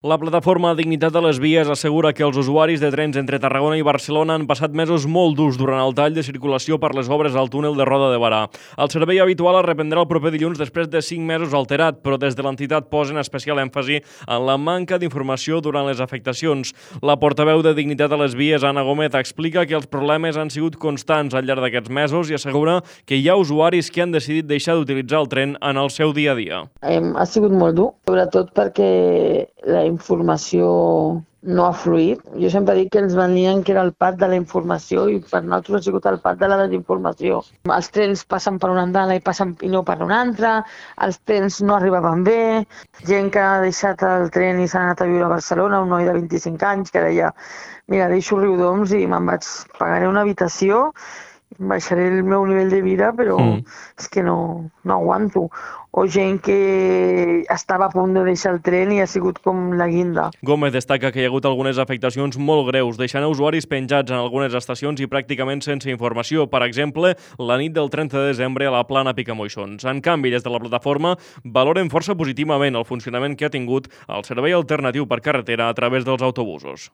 La plataforma Dignitat de les Vies assegura que els usuaris de trens entre Tarragona i Barcelona han passat mesos molt durs durant el tall de circulació per les obres al túnel de Roda de Barà. El servei habitual es reprendrà el proper dilluns després de 5 mesos alterat, però des de l'entitat posen especial èmfasi en la manca d'informació durant les afectacions. La portaveu de Dignitat de les Vies, Anna Gómez, explica que els problemes han sigut constants al llarg d'aquests mesos i assegura que hi ha usuaris que han decidit deixar d'utilitzar el tren en el seu dia a dia. Ha sigut molt dur, sobretot perquè la informació no ha fluït. Jo sempre dic que ens venien que era el pat de la informació i per nosaltres ha sigut el pat de la desinformació. Els trens passen per una andana i no per una altra, els trens no arribaven bé, gent que ha deixat el tren i s'ha anat a viure a Barcelona, un noi de 25 anys que deia mira, deixo Riudoms i pagaré una habitació, baixaré el meu nivell de vida, però és que no aguanto. O gent que estava a punt de deixar el tren i ha sigut com la guinda. Gómez destaca que hi ha hagut algunes afectacions molt greus, deixant usuaris penjats en algunes estacions i pràcticament sense informació. Per exemple, la nit del 30 de desembre a la Plana Picamoixons. En canvi, des de la plataforma valoren força positivament el funcionament que ha tingut el servei alternatiu per carretera a través dels autobusos.